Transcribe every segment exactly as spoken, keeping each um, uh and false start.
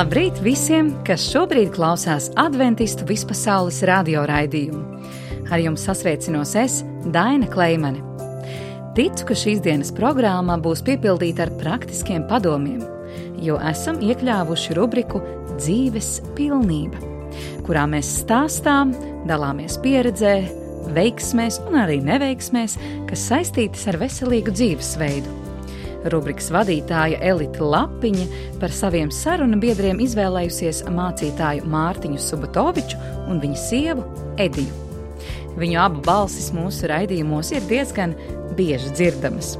Labrīt visiem, kas šobrīd klausās Adventistu vispasaules radioraidījumu. Ar jums sasveicinos es, Daina Kleimane. Ticu, ka šīs dienas programma būs piepildīta ar praktiskiem padomiem, jo esam iekļāvuši rubriku Dzīves pilnība, kurā mēs stāstām, dalāmies pieredzē, veiksmēs un arī neveiksmēs, kas saistītas ar veselīgu dzīvesveidu. Rubrikas vadītāja Elita Lapiņa par saviem sarunu biedriem izvēlējusies mācītāju Mārtiņu Subatoviču un viņa sievu Ediju. Viņu abu balsis mūsu raidījumos ir diezgan bieži dzirdamas,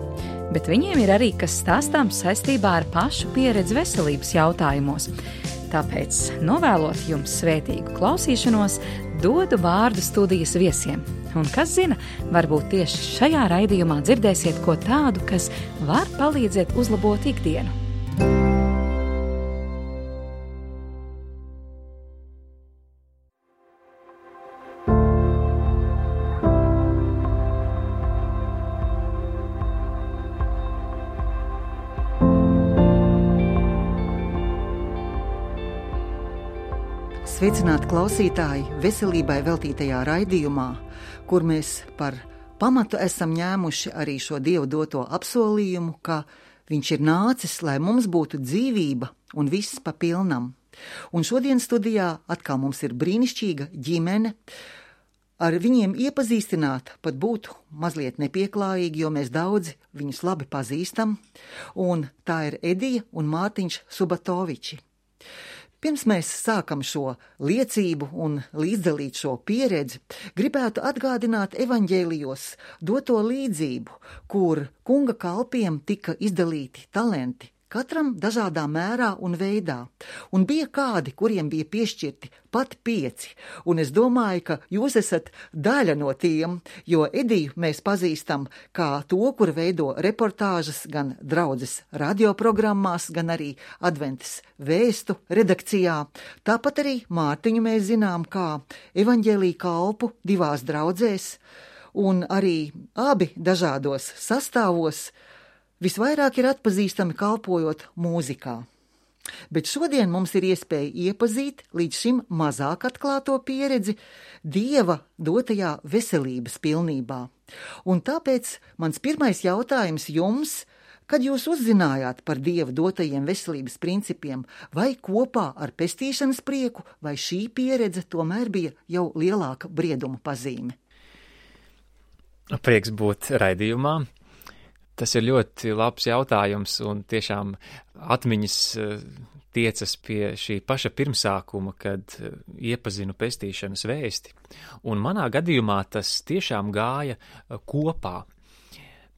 bet viņiem ir arī kas stāstāms saistībā ar pašu pieredzi veselības jautājumos. Tāpēc, novēlot jums svētīgu klausīšanos, dodu vārdu studijas viesiem. Un kas zina, varbūt tieši šajā raidījumā dzirdēsiet ko tādu, kas var palīdzēt uzlabot ikdienu. Sveicināti klausītāji veselībai veltītajā raidījumā, kur mēs par pamatu esam ņēmuši arī šo Dievu doto apsolījumu, ka Viņš ir nācis, lai mums būtu dzīvība un viss pa pilnam. Un šodien studijā atkal mums ir brīnišķīga ģimene. Ar viņiem iepazīstināt pat būtu mazliet nepieklājīgi, jo mēs daudzi viņus labi pazīstam, un tā ir Edija un Mārtiņš Subatoviči. Pirms mēs sākam šo liecību un līdzdalīt šo pieredzi, gribētu atgādināt evaņģēlijos doto līdzību, kur kunga kalpiem tika izdalīti talenti, katram dažādā mērā un veidā, un bija kādi, kuriem bija piešķirti pat pieci, un es domāju, ka jūs esat daļa no tiem, jo Ediju mēs pazīstam kā to, kur veido reportāžas gan draudzes radioprogrammās, gan arī Adventas vēstu redakcijā. Tāpat arī Mārtiņu mēs zinām kā evaņģēlija kalpu divās draudzēs, un arī abi dažādos sastāvos visvairāk ir atpazīstami kalpojot mūzikā. Bet šodien mums ir iespēja iepazīt līdz šim mazāk atklāto pieredzi Dieva dotajā veselības pilnībā. Un tāpēc mans pirmais jautājums jums, kad jūs uzzinājāt par Dieva dotajiem veselības principiem, vai kopā ar pestīšanas prieku, vai šī pieredze tomēr bija jau lielāka brieduma pazīme? Prieks būt raidījumā. Tas ir ļoti labs jautājums, un tiešām atmiņas tiecas pie šī paša pirmsākuma, kad iepazinu pestīšanas vēsti. Un manā gadījumā tas tiešām gāja kopā.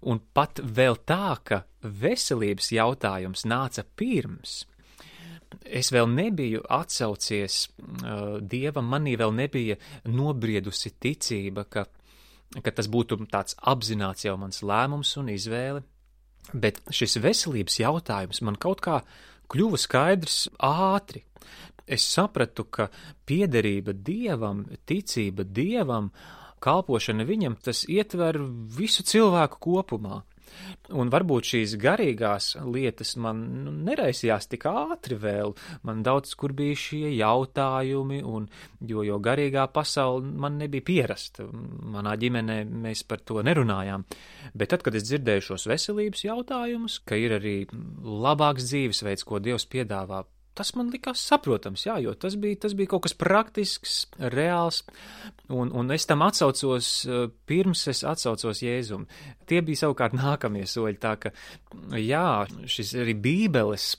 Un pat vēl tā, ka veselības jautājums nāca pirms. Es vēl nebiju atsaucies uh, Dievam, manī vēl nebija nobriedusi ticība, ka ka tas būtu tāds apzināts jau mans lēmums un izvēle, bet šis veselības jautājums man kaut kā kļuva skaidrs ātri. Es sapratu, ka piederība Dievam, ticība Dievam, kalpošana viņam, tas ietver visu cilvēku kopumā. Un varbūt šīs garīgās lietas man nu, neraisījās tik ātri vēl, man daudz kur bija šie jautājumi, un, jo, jo garīgā pasaule man nebija pierasta, manā ģimenē mēs par to nerunājām. Bet tad, kad es dzirdēju šos veselības jautājumus, ka ir arī labāks dzīvesveids, ko Dievs piedāvā, tas man likās saprotams, jā, jo tas bija, tas bija kaut kas praktisks, reāls, un, un es tam atsaucos, pirms es atsaucos Jēzum. Tie bija savukārt nākamie soļi, tā ka, jā, šis arī Bībeles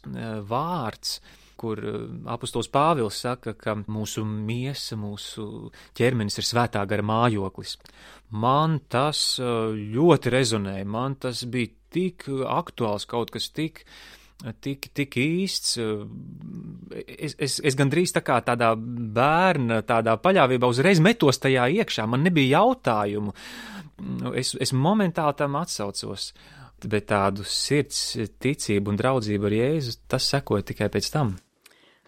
vārds, kur apostols Pāvils saka, ka mūsu miesa, mūsu ķermenis ir svētā gara mājoklis. Man tas ļoti rezonēja, man tas bija tik aktuāls, kaut kas tik Tik, tik īsts, es, es, es gandrīz tā kā tādā bērna, tādā paļāvībā uzreiz metos tajā iekšā, man nebija jautājumu, es, es momentāli tam atsaucos, bet tādu sirds ticību un draudzību ar Jēzu, tas sekoja tikai pēc tam.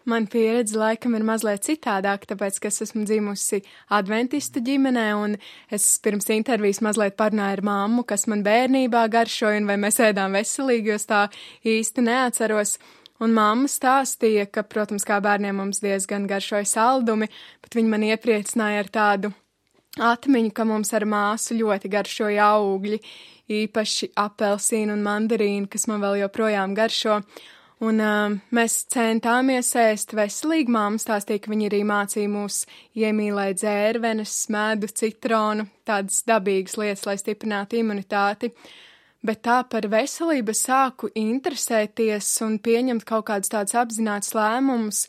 Man pieredze laikam ir mazliet citādāka, tāpēc, ka es esmu dzimusi adventistu ģimenē, un es pirms intervijas mazliet parunāju ar mammu, kas man bērnībā garšoja, un vai mēs ēdām veselīgi, jo es tā īsti neatceros. Un mamma stāstīja, ka, protams, kā bērniem mums diezgan garšoja saldumi, bet viņa man iepriecināja ar tādu atmiņu, ka mums ar māsu ļoti garšoja augļi, īpaši apelsīnu un mandarīnu, kas man vēl joprojām garšo. Un uh, mēs centāmies ēst veselīgi. Māma stāstīja, ka viņa arī mācīja mūs iemīlēt dzērvenes, medu, citronu, tādas dabīgas lietas, lai stiprinātu imunitāti. Bet tā par veselību sāku interesēties un pieņemt kaut kādus tādus apzinātus lēmumus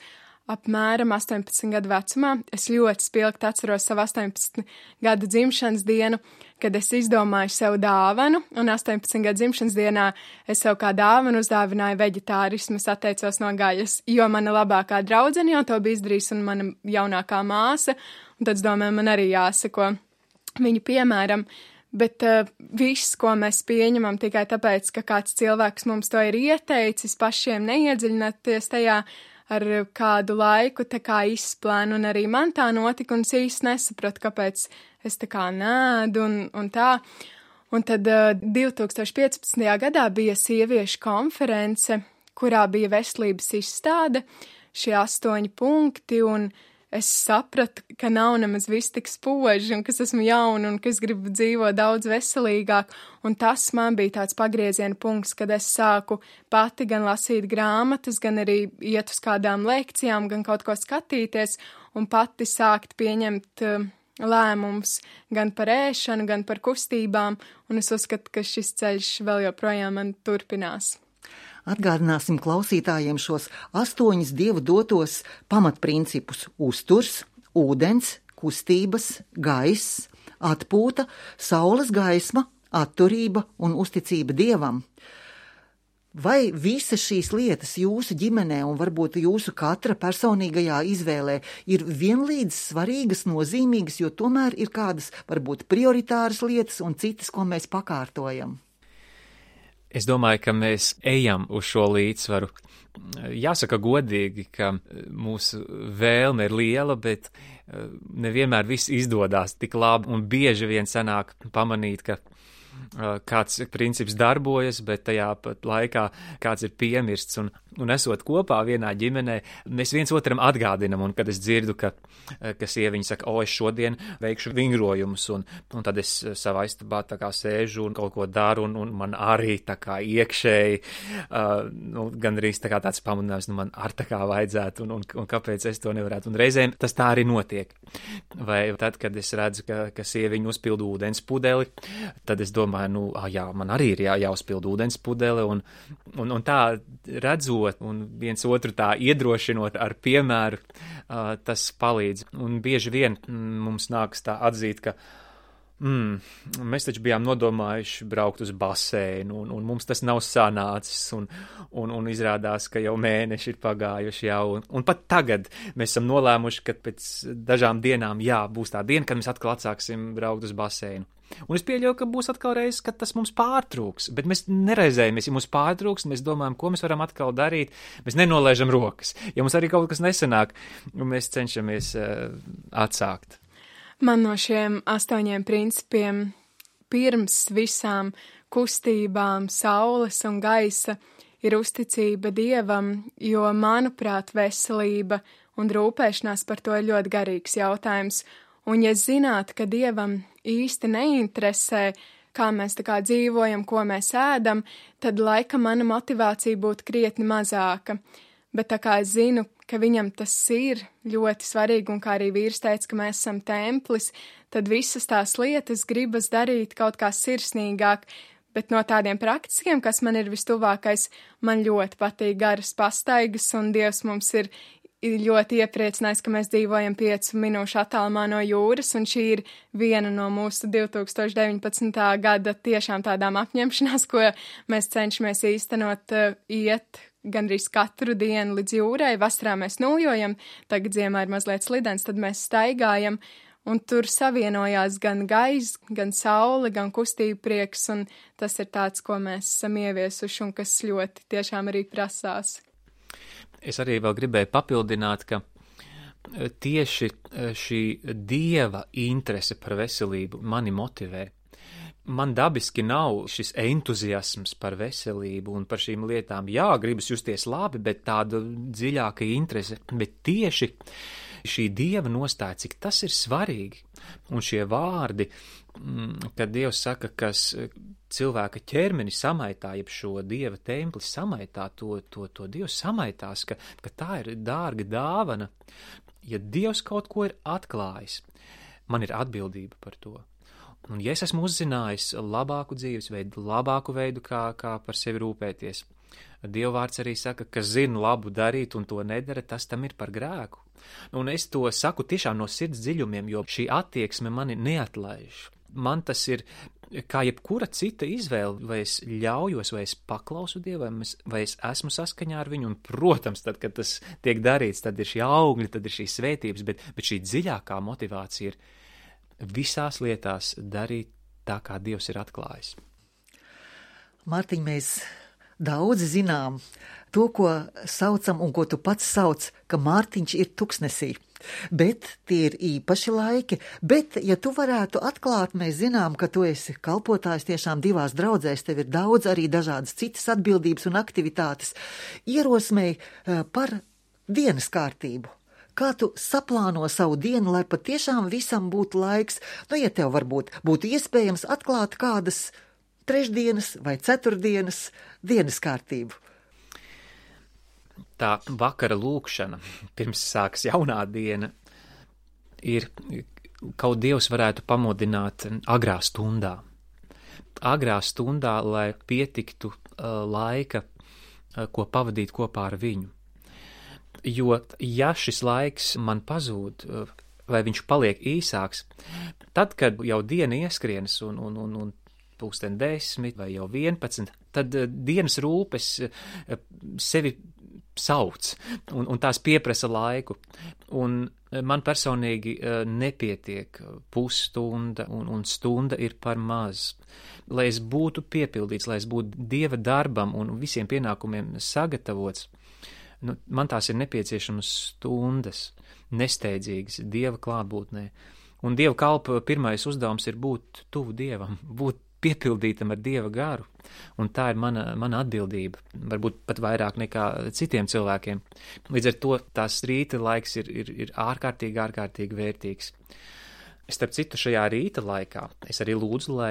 apmēram astoņpadsmit gadu vecumā. Es ļoti spilgti atceros savu astoņpadsmit gadu dzimšanas dienu, kad es izdomāju sev dāvanu, un astoņpadsmit gadu dzimšanas dienā es sev kā dāvanu uzdāvināju veģetārismu, es atteicos no gaļas, jo mana labākā draudzene jau to bija izdarījusi un mana jaunākā māsa, un tad es domāju, man arī jāsako viņu piemēram. Bet uh, viss, ko mēs pieņemam tikai tāpēc, ka kāds cilvēks mums to ir ieteicis, pašiem neiedziļināties tajā ar kādu laiku tā kā izplēnu, un arī man tā notika, un es īsti nesapratu, kāpēc es tā kā nēdu un, un tā. Un tad uh, divi tūkstoši piecpadsmitajā gadā bija sieviešu konference, kurā bija veselības izstāde, šie astoņi punkti, un es sapratu, ka nav nemaz viss tik spoži, un ka es esmu jauna, un ka es gribu dzīvot daudz veselīgāk, un tas man bija tāds pagrieziena punkts, kad es sāku pati gan lasīt grāmatas, gan arī iet uz kādām lekcijām, gan kaut ko skatīties, un pati sākt pieņemt uh, lēmumus gan par ēšanu, gan par kustībām, un es uzskatu, ka šis ceļš vēl joprojām man turpinās. Atgādināsim klausītājiem šos astoņus Dieva dotos pamatprincipus – uzturs, ūdens, kustības, gaiss, atpūta, saules gaisma, atturība un uzticība Dievam. Vai visas šīs lietas jūsu ģimenē un varbūt jūsu katra personīgajā izvēlē ir vienlīdz svarīgas, nozīmīgas, jo tomēr ir kādas varbūt prioritāras lietas un citas, ko mēs pakārtojam? Es domāju, ka mēs ejam uz šo līdzsvaru. Jāsaka godīgi, ka mūsu vēlme ir liela, bet nevienmēr viss izdodas tik labi, un bieži vien sanāk pamanīt, ka kāds princips darbojas, bet tajā pat laikā kāds ir piemirsts, un, un esot kopā vienā ģimenē, mēs viens otram atgādinam, un kad es dzirdu, ka, ka sieviņa saka, o, es šodien veikšu vingrojumus, un, un tad es savā istabā tā kā sēžu un kaut ko daru, un, un man arī tā kā iekšēji, uh, nu, gandrīz tā kā tāds pamudinājums, nu man ar tā kā vajadzētu, un, un, un kāpēc es to nevarētu, un reizēm tas tā arī notiek. Vai tad, kad es redzu, ka, ka sieviņa uzpild ūdens pudeli, tad es domāju, nu, ah, jā, man arī ir jā, jāuzpild ūdens pudele, un, un, un tā redzot un viens otru tā iedrošinot ar piemēru, uh, tas palīdz. Un bieži vien mm, mums nāks tā atzīt, ka mm, mēs taču bijām nodomājuši braukt uz baseinu, un, un mums tas nav sanācis, un, un, un izrādās, ka jau mēneši ir pagājuši jau, un, un pat tagad mēs esam nolēmuši, ka pēc dažām dienām, jā, būs tā diena, kad mēs atkal atsāksim braukt uz baseinu. Un es pieļauju, ka būs atkal reizes, kad tas mums pārtrūks, bet mēs nereizējamies, ja mums pārtrūks, mēs domājam, ko mēs varam atkal darīt, mēs nenolaižam rokas. Ja mums arī kaut kas nesanāk, mēs cenšamies uh, atsākt. Man no šiem astoņiem principiem pirms visām kustībām, saules un gaisa ir uzticība Dievam, jo, manuprāt, veselība un rūpēšanās par to ir ļoti garīgs jautājums. Un ja zinātu, ka Dievam īsti neinteresē, kā mēs tā kā dzīvojam, ko mēs ēdam, tad laikam mana motivācija būtu krietni mazāka. Bet tā kā es zinu, ka viņam tas ir ļoti svarīgi, un kā arī vīrs teica, ka mēs esam templis, tad visas tās lietas gribas darīt kaut kā sirsnīgāk. Bet no tādiem praktiskiem, kas man ir vistuvākais, man ļoti patīk garas pastaigas, un Dievs mums ir ļoti iepriecinājis, ka mēs dzīvojam piecu minūšu attālumā no jūras, un šī ir viena no mūsu divi tūkstoši deviņpadsmitā gada tiešām tādām apņemšanās, ko mēs cenšamies īstenot, iet gandrīz katru dienu līdz jūrai. Vasarā mēs nuljojam, tagad ziemā ir mazliet slidens, tad mēs staigājam, un tur savienojās gan gaiss, gan saule, gan kustība prieks, un tas ir tāds, ko mēs esam ieviesuši, un kas ļoti tiešām arī prasās. Es arī vēl gribēju papildināt, ka tieši šī Dieva interese par veselību mani motivē. man dabiski nav šis entuziasms par veselību un par šīm lietām. Jā, gribas justies labi, bet tāda dziļāka interese, bet tieši šī Dieva nostāja, cik tas ir svarīgi. Un šie vārdi, kad Dievs saka, kas cilvēka ķermeni samaitā, jeb šo Dieva templi samaitā, to, to, to Dievs samaitās, ka, ka tā ir dārga dāvana. Ja Dievs kaut ko ir atklājis, man ir atbildība par to. Un ja es esmu uzzinājis labāku dzīvesveidu, labāku veidu, kā, kā par sevi rūpēties, Dievvārds arī saka, ka zina labu darīt un to nedara, tas tam ir par grēku. Un es to saku tiešām no sirds dziļumiem, jo šī attieksme mani neatlaiž. Man tas ir kā jebkura cita izvēle, vai es ļaujos, vai es paklausu Dievam, vai es esmu saskaņā ar viņu, un, protams, tad, kad tas tiek darīts, tad ir šī augļi, tad ir šī svētības, bet, bet šī dziļākā motivācija ir visās lietās darīt tā, kā Dievs ir atklājis. Mārtiņ, mēs daudzi zinām to, ko saucam un ko tu pats sauc, ka Mārtiņš ir tuksnesī. Bet tie ir īpaši laiki, bet, ja tu varētu atklāt, mēs zinām, ka tu esi kalpotājs tiešām divās draudzēs, tev ir daudz arī dažādas citas atbildības un aktivitātes, ierosmēji par dienas kārtību. Kā tu saplāno savu dienu, lai patiešām visam būtu laiks, nu, ja tev varbūt būtu iespējams atklāt kādas trešdienas vai ceturtdienas dienas kārtību? Tā vakara lūkšana, pirms sāks jaunā diena, ir, kaut Dievs varētu pamodināt agrā stundā. Agrā stundā, lai pietiktu uh, laika, uh, ko pavadīt kopā ar viņu. Jo, ja šis laiks man pazūd, vai viņš paliek īsāks, tad, kad jau diena ieskrienas un, un, un, un pulksten desmit vai jau vienpadsmit, tad dienas rūpes sevi sauc, un, un tās pieprasa laiku. Un man personīgi nepietiek pusstunda, un, un stunda ir par maz. Lai es būtu piepildīts, lai es būtu Dieva darbam un visiem pienākumiem sagatavots, nu, man tās ir nepieciešamas stundas, nesteidzīgas Dieva klātbūtnē. Un Dieva kalpa pirmais uzdevums ir būt tuvu Dievam, būt piepildītam ar Dieva garu. Un tā ir mana, mana atbildība, varbūt pat vairāk nekā citiem cilvēkiem. Līdz ar to tās rīta laiks ir, ir, ir ārkārtīgi, ārkārtīgi vērtīgs. Starp citu, šajā rīta laikā es arī lūdzu, lai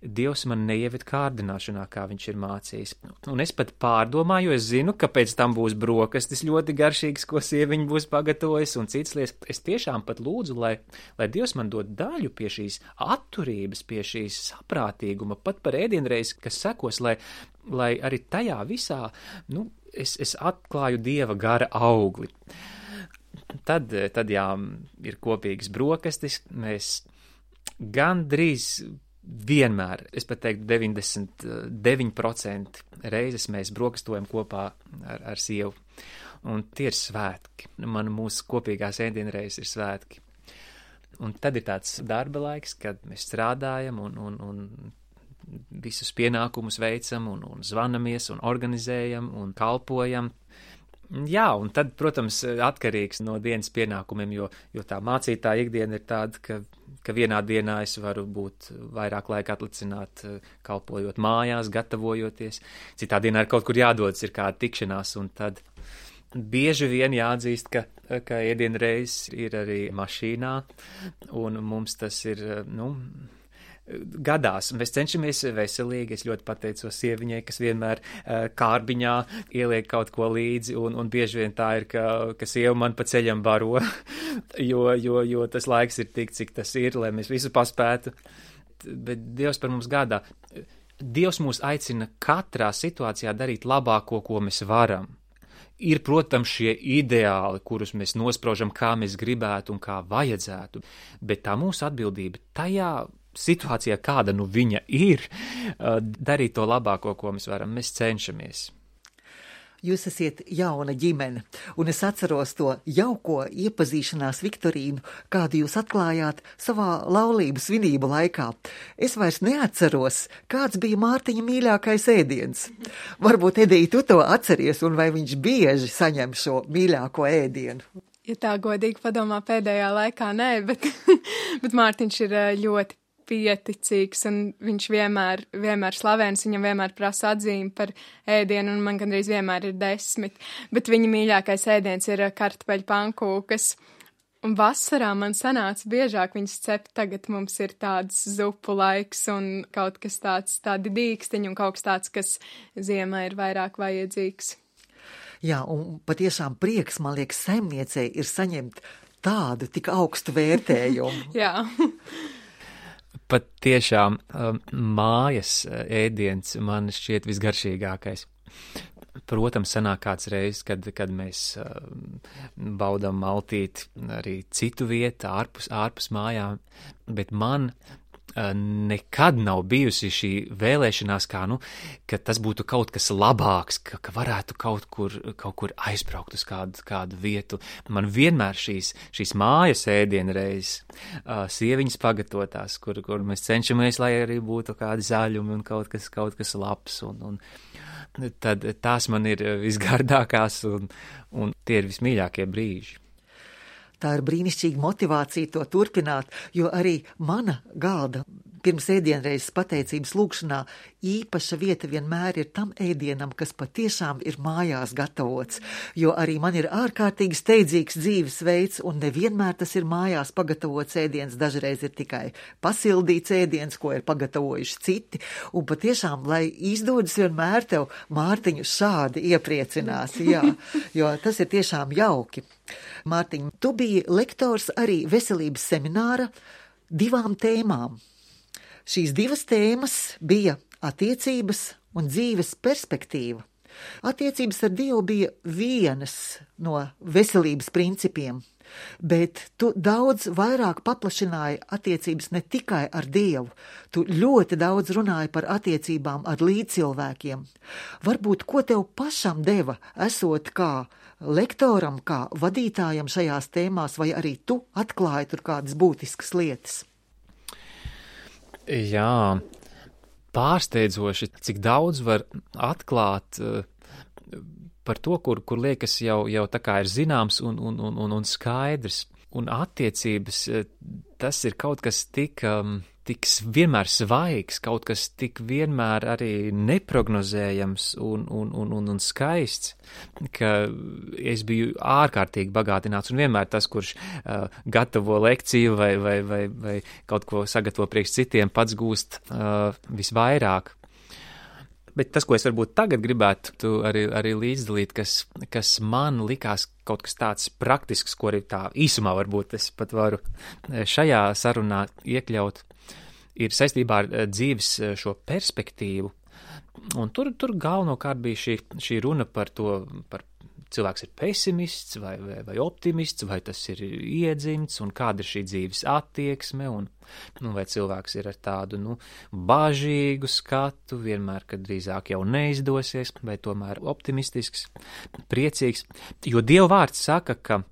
Dievs man neieved kārdināšanā, kā viņš ir mācījis. Un es pat pārdomāju, jo es zinu, ka pēc tam būs brokastis ļoti garšīgas, ko sieviņa būs pagatavojis, un citas lietas. Es tiešām pat lūdzu, lai, lai Dievs man dod daļu pie šīs atturības, pie šīs saprātīguma, pat par ēdienreizi, kas sekos, lai, lai arī tajā visā, nu, es, es atklāju Dieva gara augli. Tad, tad jā, ir kopīgas brokastis, mēs gandrīz vienmēr, es pat teiktu deviņdesmit deviņi procenti reizes mēs brokastojam kopā ar, ar sievu. Un tie ir svētki. Man mūsu kopīgās ēdienreizes ir svētki. Un tad ir tāds darba laiks, kad mēs strādājam un, un, un visus pienākumus veicam un, un zvanamies un organizējam un kalpojam. Jā, un tad, protams, atkarīgs no dienas pienākumiem, jo, jo tā mācītāja ikdiena ir tāda, ka, ka vienā dienā es varu būt vairāk laika atlicināt, kalpojot mājās, gatavojoties. Citā dienā ir kaut kur jādodas, ir kāda tikšanās, un tad bieži vien jāatzīst, ka, ka ēdienreizes ir arī mašīnā, un mums tas ir, nu, gadās. Mēs cenšamies veselīgi. Es ļoti pateicos sieviņai, kas vienmēr uh, kārbiņā ieliek kaut ko līdzi, un, un bieži vien tā ir, ka, ka sieva man pa ceļam baro, jo, jo, jo tas laiks ir tik, cik tas ir, lai mēs visu paspētu. Bet Dievs par mums gādā. Dievs mūs aicina katrā situācijā darīt labāko, ko mēs varam. Ir, protams, šie ideāli, kurus mēs nospraužam, kā mēs gribētu un kā vajadzētu, bet tā mūsu atbildība tajā situācijā, kāda nu viņa ir, darīt to labāko, ko mēs varam. Mēs cenšamies. Jūs esat jauna ģimene, un es atceros to jauko iepazīšanās Viktorīnu, kādu jūs atklājāt savā laulību svinību laikā. Es vairs neatceros, kāds bija Mārtiņa mīļākais ēdiens. Varbūt, Edija, tu to atceries, un vai viņš bieži saņem šo mīļāko ēdienu? Ja tā godīgi padomā, pēdējā laikā nē, bet, bet Mārtiņš ir ļoti pieticīgs, un viņš vienmēr, vienmēr slavēns, viņam vienmēr prasa atzīmi par ēdienu, un man gandrīz vienmēr ir desmit, bet viņa mīļākais ēdiens ir kartupeļu pankūkas. Un vasarā man sanāca biežāk viņas cept, tagad mums ir tāds zupu laiks un kaut kas tāds, tādi dīkstiņi un kaut kas tāds, kas ziemā ir vairāk vajadzīgs. Jā, un patiešām prieks, man liekas, saimniecei ir saņemt tādu tik augstu vērtējumu. Jā. Pat tiešām mājas ēdiens man šķiet visgaršīgākais. Protams, sanāk kāds reizes, kad, kad mēs baudām maltīti arī citu vietu, ārpus, ārpus mājām, bet man nekad nav bijusi šī vēlēšanās, kā, nu, ka tas būtu kaut kas labāks, ka, ka varētu kaut kur, kaut kur aizbraukt uz kādu, kādu vietu. Man vienmēr šīs, šīs mājas ēdiena reizes, sieviņas pagatavotās, kur, kur mēs cenšamies, lai arī būtu kādi zaļumi un kaut kas, kaut kas labs, un, un tad tās man ir visgardākās, un, un tie ir vismīļākie brīži. Tā ir brīnišķīga motivācija to turpināt, jo arī mana galda pirms ēdienreizes pateicības lūkšanā īpaša vieta vienmēr ir tam ēdienam, kas patiešām ir mājās gatavots, jo arī man ir ārkārtīgi steidzīgs dzīvesveids, un nevienmēr tas ir mājās pagatavots ēdiens, dažreiz ir tikai pasildīts ēdiens, ko ir pagatavojuši citi, un patiešām, lai izdodas vienmēr tev, Mārtiņu, šādi iepriecinās, jā, jo tas ir tiešām jauki. Mārtiņ, tu biji lektors arī veselības semināra divām tēmām. Šīs divas tēmas bija attiecības un dzīves perspektīva. Attiecības ar Dievu bija vienas no veselības principiem, bet tu daudz vairāk paplašināji attiecības ne tikai ar Dievu, tu ļoti daudz runāji par attiecībām ar līdzcilvēkiem. Varbūt, ko tev pašam deva, esot kā lektoram, kā vadītājam šajās tēmās, vai arī tu atklāji tur kādas būtiskas lietas? Jā, pārsteidzoši, cik daudz var atklāt uh, par to, kur, kur liekas jau, jau tā kā ir zināms un, un, un, un skaidrs. Un attiecības, tas ir kaut kas tik, um, tik vienmēr svaigs, kaut kas tik vienmēr arī neprognozējams un, un, un, un, un skaists, ka es biju ārkārtīgi bagātināts, un vienmēr tas, kurš uh, gatavo lekciju vai, vai, vai, vai kaut ko sagatavo priekš citiem, pats gūst uh, visvairāk. Bet tas, ko es varbūt tagad gribētu arī, arī līdzdalīt, kas, kas man likās kaut kas tāds praktisks, ko arī tā īsumā varbūt es pat varu šajā sarunā iekļaut, ir saistībā ar dzīves šo perspektīvu. Un tur, tur galvenokārt bija šī, šī runa par to, par cilvēks ir pesimists vai, vai, vai optimists, vai tas ir iedzimts, un kāda ir šī dzīves attieksme, un nu, vai cilvēks ir ar tādu nu, bažīgu skatu, vienmēr, kad drīzāk jau neizdosies, vai tomēr optimistisks, priecīgs. Jo Dieva vārds saka, ka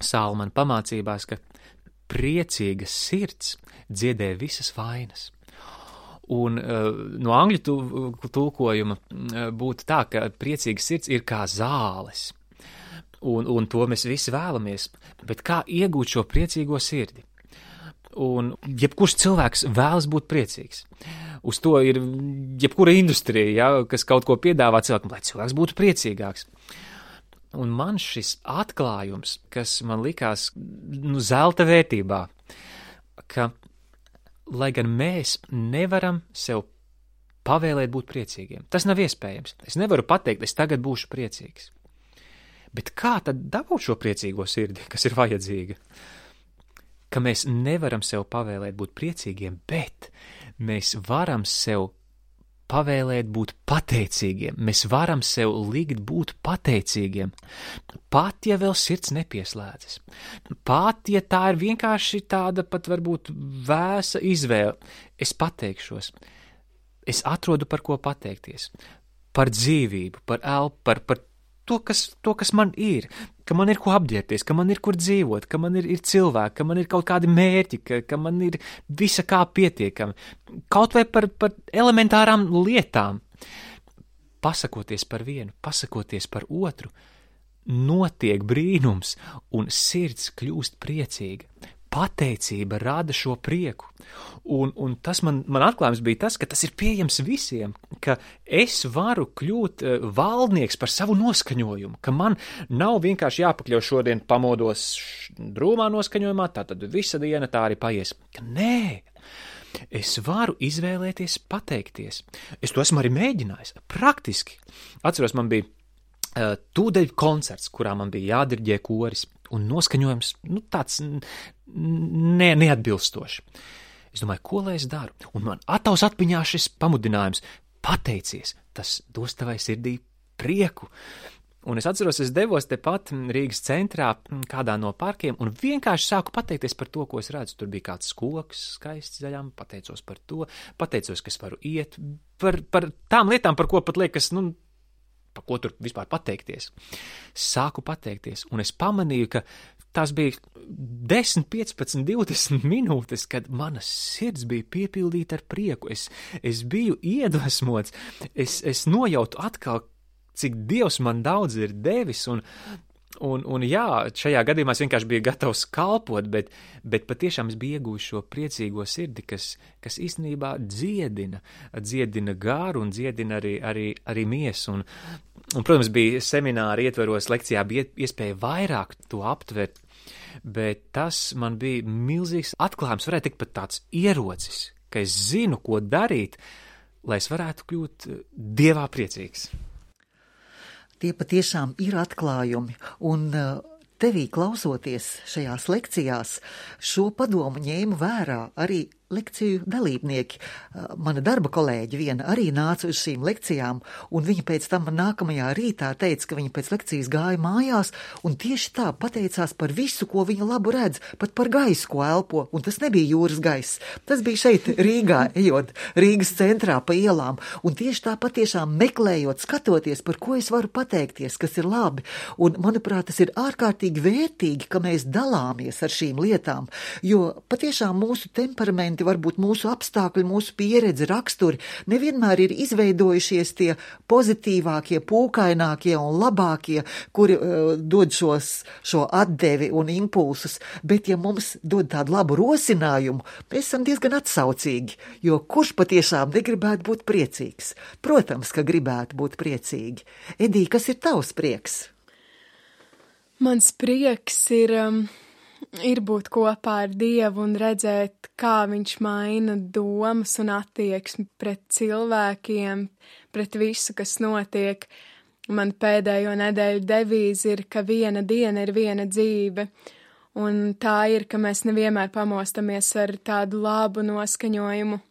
Salmana pamācībās, ka priecīga sirds dziedē visas vainas. Un uh, no angļu tu, tulkojuma uh, būtu tā, ka priecīga sirds ir kā zāles, un, un to mēs visi vēlamies, bet kā iegūt šo priecīgo sirdi? Un jebkurš cilvēks vēlas būt priecīgs. Uz to ir jebkura industrija, ja, kas kaut ko piedāvā cilvēkam, lai cilvēks būtu priecīgāks. Un man šis atklājums, kas man likās nu, zelta vērtībā, ka lai gan mēs nevaram sev pavēlēt būt priecīgiem. Tas nav iespējams. Es nevaru pateikt, es tagad būšu priecīgs. Bet kā tad dabūt šo priecīgo sirdi, kas ir vajadzīga? Ka mēs nevaram sev pavēlēt būt priecīgiem, bet mēs varam sev pavēlēt būt pateicīgiem. Mēs varam sev likt būt pateicīgiem. Pat, ja vēl sirds nepieslēdzas. Pat, ja tā ir vienkārši tāda pat varbūt vēsa izvēle. Es pateikšos. Es atrodu par ko pateikties. Par dzīvību, par elpu, par, par to, kas, to, kas man ir. Ka man ir ko apģērbties, ka man ir kur dzīvot, ka man ir, ir cilvēki, ka man ir kaut kādi mērķi, ka, ka man ir visa kā pietiekami. Kaut vai par, par elementārām lietām. Pasakoties par vienu, pasakoties par otru, notiek brīnums un sirds kļūst priecīga. pateicība rada šo prieku. Un, un tas man, man atklājums bija tas, ka tas ir pieejams visiem, ka es varu kļūt uh, valdnieks par savu noskaņojumu, ka man nav vienkārši jāpakļauj šodien pamodos drūmā noskaņojumā, tātad visa diena tā arī paies. Ka nē, es varu izvēlēties pateikties. Es to esmu arī mēģinājis, praktiski. Atceros, man bija uh, tūdeļ koncerts, kurā man bija jādirģē koris, un noskaņojums, nu, tāds ne, neatbilstoši. Es domāju, ko lai es daru? Un man ataus atmiņā šis pamudinājums – pateicies, tas dos tavai sirdī prieku. Un es atceros, es devos tepat Rīgas centrā kādā no parkiem un vienkārši sāku pateikties par to, ko es redzu. Tur bija kāds koks skaists zaļām, pateicos par to, pateicos, ka es varu iet, par, par tām lietām, par ko pat liekas, nu, par ko tur vispār pateikties. Sāku pateikties, un es pamanīju, ka tās bija desmit, piecpadsmit, divdesmit minūtes, kad mana sirds bija piepildīta ar prieku. Es, es biju iedvesmots, es, es nojautu atkal, cik Dievs man daudz ir devis, un, un, un jā, šajā gadījumā es vienkārši biju gatavs kalpot, bet, bet patiešām es biju iegūjis šo priecīgo sirdi, kas, kas īstenībā dziedina, dziedina gāru un dziedina arī, arī, arī miesu. Un, un, protams, bija semināri ietveros, lekcijā bija iespēja vairāk to aptvert, bet tas man bija milzīgs atklājums, varētu teikt pat tāds ierocis, ka es zinu, ko darīt, lai es varētu kļūt Dievā priecīgs. Tie patiešām ir atklājumi, un tevī klausoties šajās lekcijās, šo padomu ņēmu vērā arī lekciju dalībnieki. Mana darba kolēģi viena arī nāca uz šīm lekcijām, un viņa pēc tam man nākamajā rītā teica, ka viņa pēc lekcijas gāja mājās, un tieši tā pateicās par visu, ko viņa labu redz, pat par gaisu, ko elpo, un tas nebija jūras gaiss. Tas bija šeit Rīgā, ejot Rīgas centrā pa ielām, un tieši tā patiešām meklējot, skatoties, par ko es varu pateikties, kas ir labi, un, manuprāt, tas ir ārkārtīgi vērtīgi, ka mēs dalāmies ar šīm lietām, jo patiešām mūsu temperamenti, varbūt mūsu apstākļi, mūsu pieredze, raksturi nevienmēr ir izveidojušies tie pozitīvākie, pūkainākie un labākie, kuri uh, dod šos, šo atdevi un impulsus, bet ja mums dod tādu labu rosinājumu, mēs esam diezgan atsaucīgi, jo kurš patiešām negribētu būt priecīgs? Protams, ka gribētu būt priecīgi. Edī, kas ir tavs prieks? Mans prieks ir... Um... ir būt kopā ar Dievu un redzēt, kā viņš maina domas un attieksmi pret cilvēkiem, pret visu, kas notiek. Man pēdējo nedēļu devīze ir, ka viena diena ir viena dzīve, un tā ir, ka mēs nevienmēr pamostamies ar tādu labu noskaņojumu,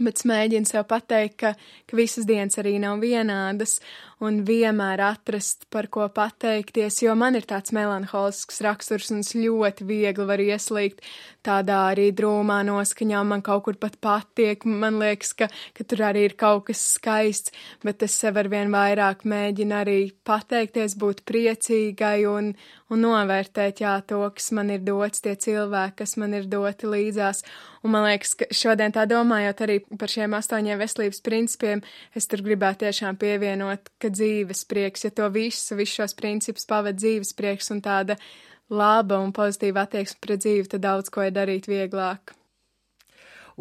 bet mēģinu sev pateikt, ka, ka visas dienas arī nav vienādas, un vienmēr atrast, par ko pateikties, jo man ir tāds melanholisks raksturs, un es ļoti viegli varu ieslīgt tādā arī drūmā noskaņā, man kaut kur pat patiek, man liekas, ka, ka tur arī ir kaut kas skaists, bet es sev arvien vairāk mēģinu arī pateikties, būt priecīgai un, un novērtēt, jā, to, kas man ir dots, tie cilvēki, kas man ir doti līdzās, un man liekas, ka šodien tā domājot arī par šiem astoņiem veselības principiem, es tur gribētu tiešām pievienot, ka dzīves prieks, ja to visu, visu šos principus pavada dzīves prieks un tāda laba un pozitīva attieksme pret dzīvi, tad daudz ko ir darīt vieglāk.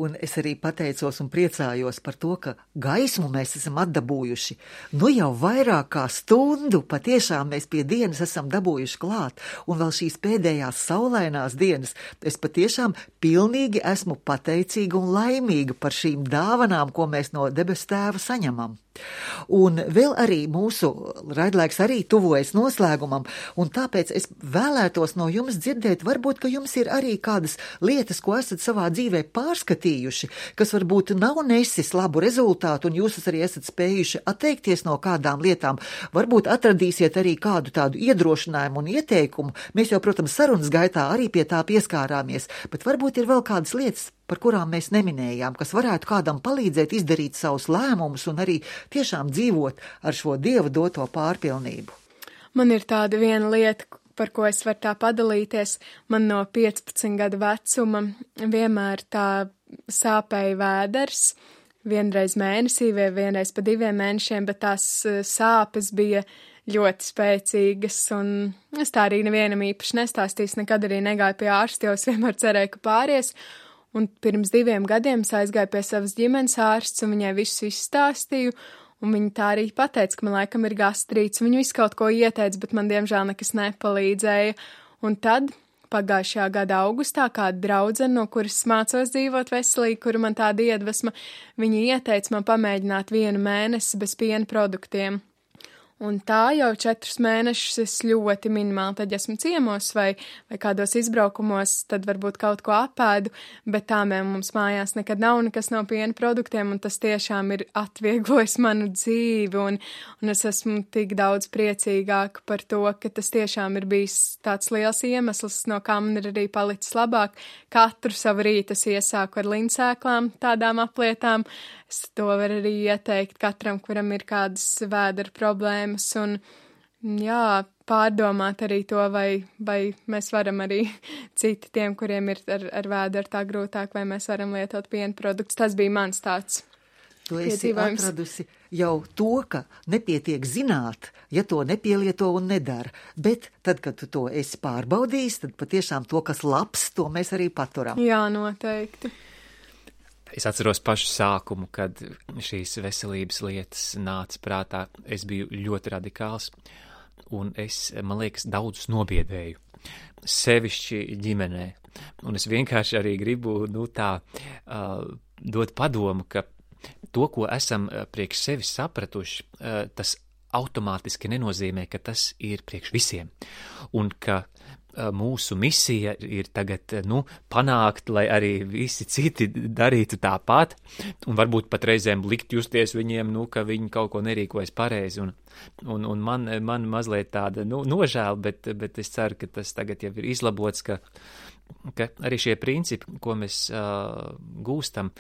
Un es arī pateicos un priecājos par to, ka gaismu mēs esam atdabūjuši. Nu jau vairāk kā stundu patiešām mēs pie dienas esam dabūjuši klāt, un vēl šīs pēdējās saulainās dienas es patiešām pilnīgi esmu pateicīga un laimīga par šīm dāvanām, ko mēs no debes tēva saņemam. Un vēl arī mūsu raidlaiks arī tuvojas noslēgumam, un tāpēc es vēlētos no jums dzirdēt, varbūt, ka jums ir arī kādas lietas, ko esat savā dzīvē pārskatījuši, kas varbūt nav nesis labu rezultātu, un jūs arī esat spējuši atteikties no kādām lietām. Varbūt atradīsiet arī kādu tādu iedrošinājumu un ieteikumu. Mēs jau, protams, sarunas gaitā arī pie tā pieskārāmies, bet varbūt ir vēl kādas lietas, par kurām mēs neminējām, kas varētu kādam palīdzēt izdarīt savus lēmumus un arī tiešām dzīvot ar šo Dieva doto pārpilnību. Man ir tāda viena lieta, par ko es varu tā padalīties. Man no piecpadsmit gadu vecuma vienmēr tā sāpēja vēders, vienreiz mēnesī vai vienreiz pa diviem mēnešiem, bet tās sāpes bija ļoti spēcīgas, un es tā arī nevienam īpaši nestāstīju, nekad arī negāju pie ārsta, jo es vienmēr cerēju, ka pāries, un pirms diviem gadiem es aizgāju pie savas ģimenes ārsts, un viņai visu izstāstīju, un viņa tā arī pateica, ka man laikam ir gastrīts, viņa visu kaut ko ieteica, bet man diemžēl nekas nepalīdzēja, un tad pagājušajā gada augustā kāda draudzene, no kuras mācos dzīvot veselīgi, kura man tāda iedvesma, viņa ieteica man pamēģināt vienu mēnesi bez piena produktiem. Un tā jau četrus mēnešus es ļoti minimāli tad esmu ciemos vai, vai kādos izbraukumos, tad varbūt kaut ko apēdu, bet tā mums mājās nekad nav nekas no piena produktiem, un tas tiešām ir atvieglojis manu dzīvi, un, un es esmu tik daudz priecīgāka par to, ka tas tiešām ir bijis tāds liels iemesls, no kā man ir arī palicis labāk. Katru savu rītu es iesāku ar linsēklām, tādām aplietām. Es to varu arī ieteikt katram, kuram ir kādas vēdera problēmas, un jā, pārdomāt arī to, vai, vai mēs varam arī citi tiem, kuriem ir ar, ar vēderu tā grūtāk, vai mēs varam lietot piena produktus. Tas bija mans tāds. Tu esi atradusi jau to, ka nepietiek zināt, ja to nepielieto un nedara, bet tad, kad tu to esi pārbaudījis, tad patiešām to, kas labs, to mēs arī paturam. Jā, noteikti. Es atceros pašu sākumu, kad šīs veselības lietas nāca prātā. Es biju ļoti radikāls, un es, man liekas, daudzus nobiedēju, sevišķi ģimenē. Un es vienkārši arī gribu, nu tā, uh, dot padomu, ka to, ko esam priekš sevis sapratuši, uh, tas automātiski nenozīmē, ka tas ir priekš visiem. Un ka mūsu misija ir tagad, nu, panākt, lai arī visi citi darītu tāpat, un varbūt pat reizēm likt justies viņiem, nu, ka viņi kaut ko nerīkojas pareizi, un, un, un man, man mazliet tāda, nu, nožēla, bet, bet es ceru, ka tas tagad jau ir izlabots, ka, ka arī šie principi, ko mēs uh, gūstam,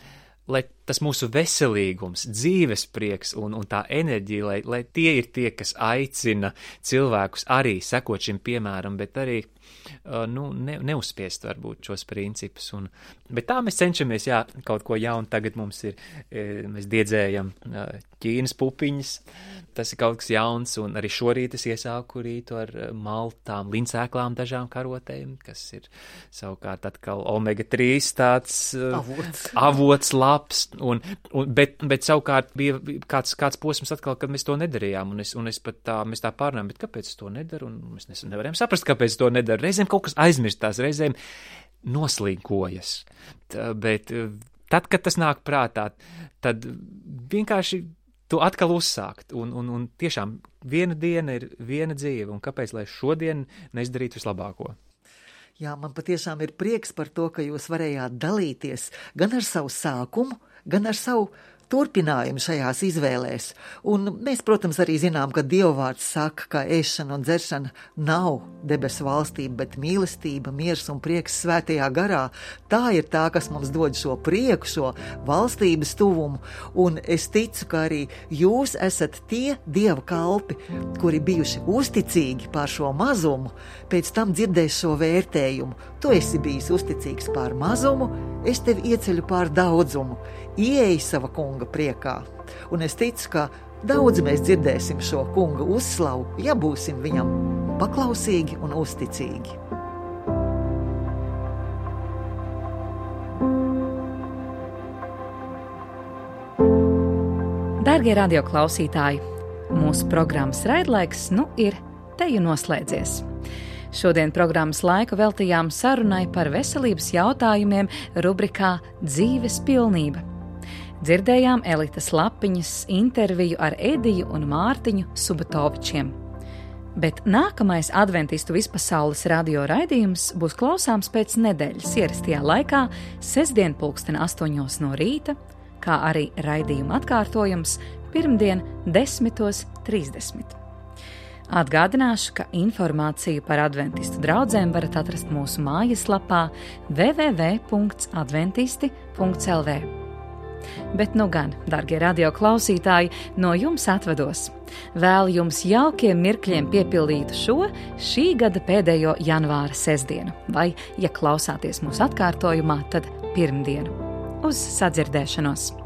lai tas mūsu veselīgums, dzīves prieks un, un tā enerģija, lai, lai tie ir tie, kas aicina cilvēkus arī sekot šim piemēram, bet arī uh, nu, ne, neuzspiest varbūt šos principus. Un, bet tā mēs cenšamies, jā, kaut ko jaunu. Tagad mums ir, mēs diedzējam uh, Ķīnas pupiņas, tas ir kaut kas jauns, un arī šorīt es iesāku rītu ar maltām, linsēklām, dažām karotēm, kas ir savukārt atkal omega trīs tāds uh, avots. avots labs. Un, un, bet, bet savukārt bija kāds, kāds posms atkal, kad mēs to nedarījām, un es, un es pat tā, mēs tā pārnājām, bet kāpēc es to nedaru, un mēs nevarējām saprast, kāpēc es to nedaru. Reizēm kaut kas aizmirstās, reizēm noslīkojas, tā, bet tad, kad tas nāk prātā, tad vienkārši to atkal uzsākt, un, un, un tiešām viena diena ir viena dzīve, un kāpēc, lai šodien neizdarītu vislabāko? Jā, man patiešām ir prieks par to, ka jūs varējāt dalīties gan ar savu sākumu, gan ar savu turpinājumu šajās izvēlēs. Un mēs, protams, arī zinām, ka Dievvvārds saka, ka ēšana un dzeršana nav debesu valstība, bet mīlestība, miers un prieks svētajā garā. Tā ir tā, kas mums dod šo prieku, šo valstības tuvumu. Un es ticu, ka arī jūs esat tie Dieva kalpi, kuri bijuši uzticīgi pār šo mazumu, pēc tam dzirdēs šo vērtējumu. Tu esi bijis uzticīgs pār mazumu, es tevi ieceļu pār daudzumu. Ieej sava kunga priekā. Un es ticu, ka daudz mēs dzirdēsim šo kunga uzslavu, ja būsim viņam paklausīgi un uzticīgi. Dārgie radioklausītāji, mūsu programmas raidlaiks nu ir teju noslēdzies. Šodien programmas laiku veltījām sarunai par veselības jautājumiem rubrikā Dzīves pilnība. Dzirdējām Elitas Lapiņas interviju ar Ediju un Mārtiņu Subatovičiem. Bet nākamais adventistu vispasaules radio raidījums būs klausāms pēc nedēļas ierastajā laikā, sestdien pulksten astoņos no rīta, kā arī raidījuma atkārtojums pirmdien desmitos trīsdesmit. Atgādināšu, ka informāciju par adventistu draudzēm varat atrast mūsu mājaslapā w w w punkts adventisti punkts l v. Bet nu gan, dargie radioklausītāji, no jums atvados. Vēlu jums jaukiem mirkļiem piepildītu šo šī gada pēdējo janvāra sestdienu, vai, ja klausāties mūsu atkārtojumā, tad pirmdienu. Uz sadzirdēšanos!